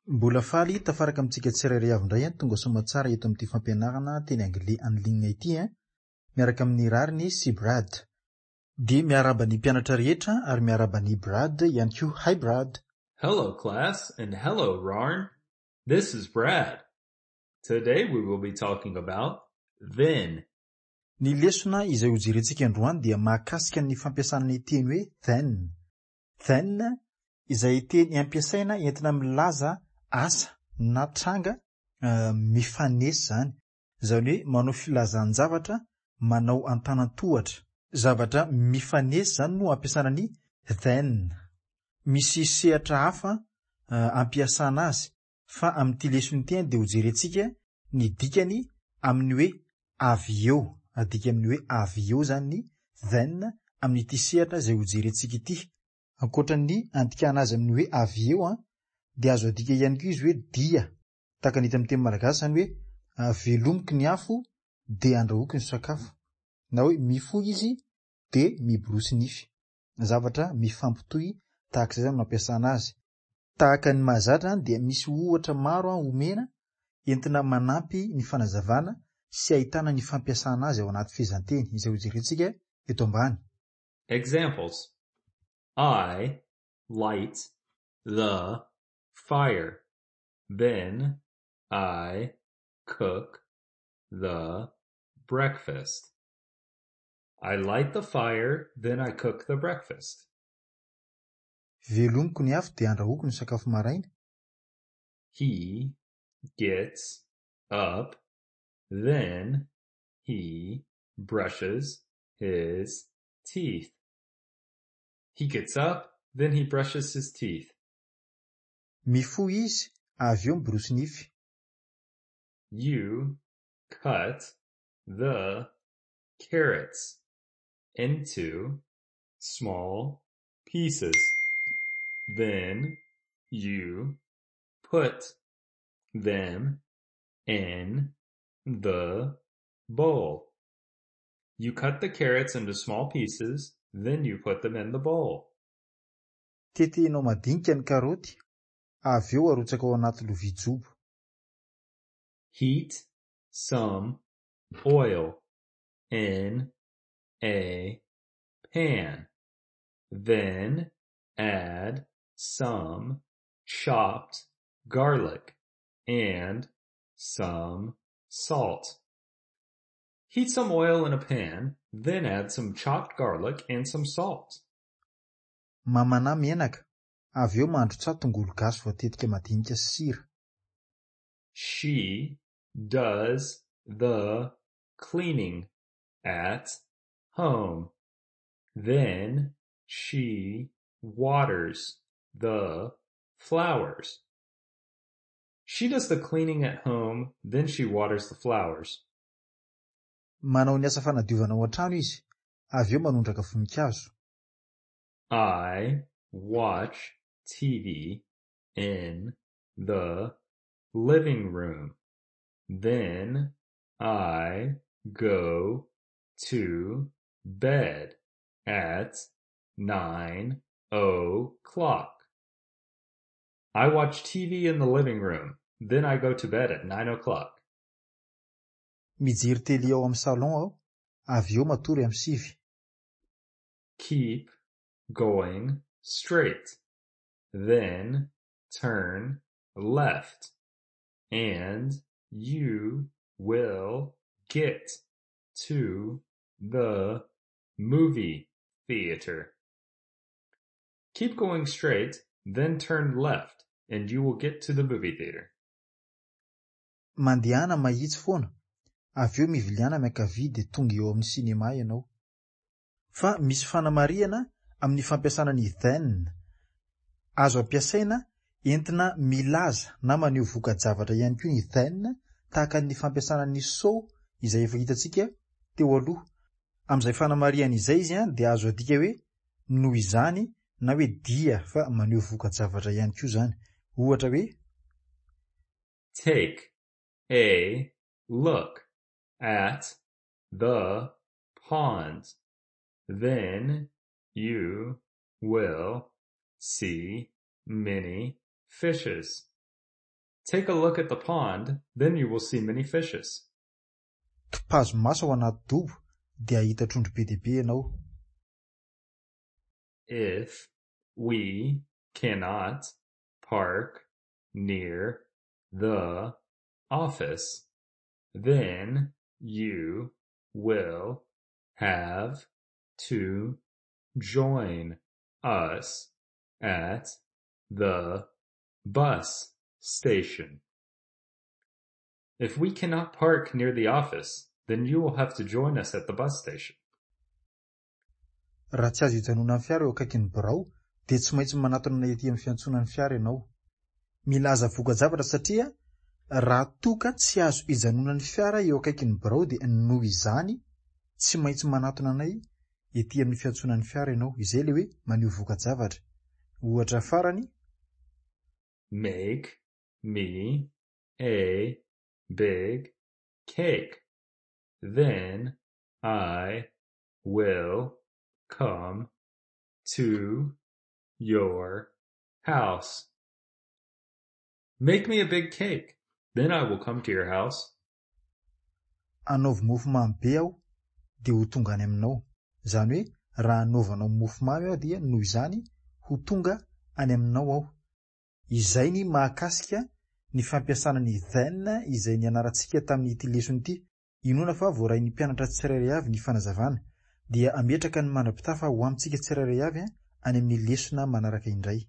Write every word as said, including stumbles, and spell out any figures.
Mbola faly tafaraka amintsika tsirairay avy indray tonga soa aman-tsara eto amin'ity fampianarana teny anglais en ligne ity miaraka amin'ny Rariny sy Brad. Dia miarahaba ny mpianatra rehetra ary miarahaba ny Brad ihany koa. Hi Brad. Hello class and hello Rariny. This is Brad. Today we will be talking about then. Ny lesona izay hojerentsika androany dia mahakasika ny fampiasana ny teny hoe then. Then izay teny ampiasaina entina milaza asa na tranga uh, mifanesy zany. Zany hoe manao filazan-javatra manao antanan-tohatra. Zavatra mifanesy zany no ampiasana ny then. Misy sehatra hafa uh, ampiasana azy fa amin'ity lesona ity dia hojerentsika ny dikany amin'ny hoe avy eo. Adika amin'ny hoe avy eo zany ny then amin'ity sehatra izay hojerentsika ity. Ankoatra ny andikana azy amin'ny hoe avy eo a dia azo adika ihany koa izy hoe dia. Tahaka ny hita amin'ny teny malagasy zany hoe velomiko ny afo dia andrahoiko ny sakafo. Na hoe mifoha izy dia miborosy nify. Zavatra mifampitohy tahaka izay zany no ampiasana azy. Tahaka ny mahazatra dia misy ohatra maro omena entina manampy ny fanazavana sy ahitana ny fampiasana azy ao anaty fehezanteny izay hojerentsika eto ambany. Examples. I light the fire. Then I cook the breakfast. I light the fire, then I cook the breakfast. Velomiko ny afo dia andrahoiko ny sakafo maraina. He gets up, then he brushes his teeth. He gets up, then he brushes his teeth. Mifoha izy avy eo miborosy nify. You cut the carrots into small pieces. Then you put them in the bowl. You cut the carrots into small pieces, then you put them in the bowl. Tetehinao madinika ny karaoty, avy eo arotsaka ao anaty lovia jobo. Heat some oil in a pan. Then add some chopped garlic and some salt. Heat some oil in a pan, then add some chopped garlic and some salt. Mamanà menaka, avy eo mandrotsaha tongolo gasy voatetika madinika sy sira. She does the cleaning at home. Then she waters the flowers. She does the cleaning at home, then she waters the flowers. Manao ny asa fanadiovana ao an-trano izy, avy eo manondraka voninkazo. I watch TV in the living room. Then I go to bed at nine o'clock. I watch TV in the living room. Then I go to bed at nine o'clock. Mijery télé ao amin'ny salon aho, avy eo matory amin'ny sivy. Keep going straight. Then turn left. And you will get to the movie theater. Keep going straight, then turn left, and you will get to the movie theater. Mandehana mahitsy foana, avy eo miviliana miankavia dia tonga eo amin'ny sinema ianao. Fa misy fanamarihana amin'ny fampiasana ny then. Azo ampiasaina entina milaza na maneho voka-javatra ihany koa ny then tahaka ny fampiasana ny so izay efa hitantsika teo aloha. Amin'izay fanamarihana izay izy dia azo adika hoe noho izany na hoe dia fa maneho voka-javatra ihany koa izany. Ohatra hoe Take a look at the pond. Then you will see many fishes. Take a look at the pond, then you will see many fishes. Topazo maso ao anaty dobo dia hahita trondro be dia be ianao. If we cannot park near the office, then you will have to join us at the bus station. If we cannot park near the office, then you will have to join us at the bus station. Raha tsy azo ijanonan'ny fiara eo akaikin'ny birao dia tsy maintsy manatona ety amin'ny fiantsonan'ny fiara ianao. Milaza voka-javatra satria raha toa ka tsy azo ijanonan'ny fiara eo akaikin'ny birao dia noho izany tsy maintsy manatona anay ety amin'ny fiantsonan'ny fiara ianao. Izay ilay hoe maneho voka-javatra. Ohatra farany. Make me a big cake. Then I will come to your house. Make me a big cake. Then I will come to your house. Anaovy mofo mamy be aho dia ho tonga any aminao. Izany hoe raha anaovanao mofo mamy aho dia noho izany ho tonga any aminao aho. Izay ny mahakasika ny fampiasana ny then izay nianarantsika tamin'ity lesona ity. Inoana fa voarain'ny mpianatra tsirairay avy ny fanazavana dia ametraka ny mandra-pitafa ho amintsika tsirairay avy any amin'ny lesona manaraka indray.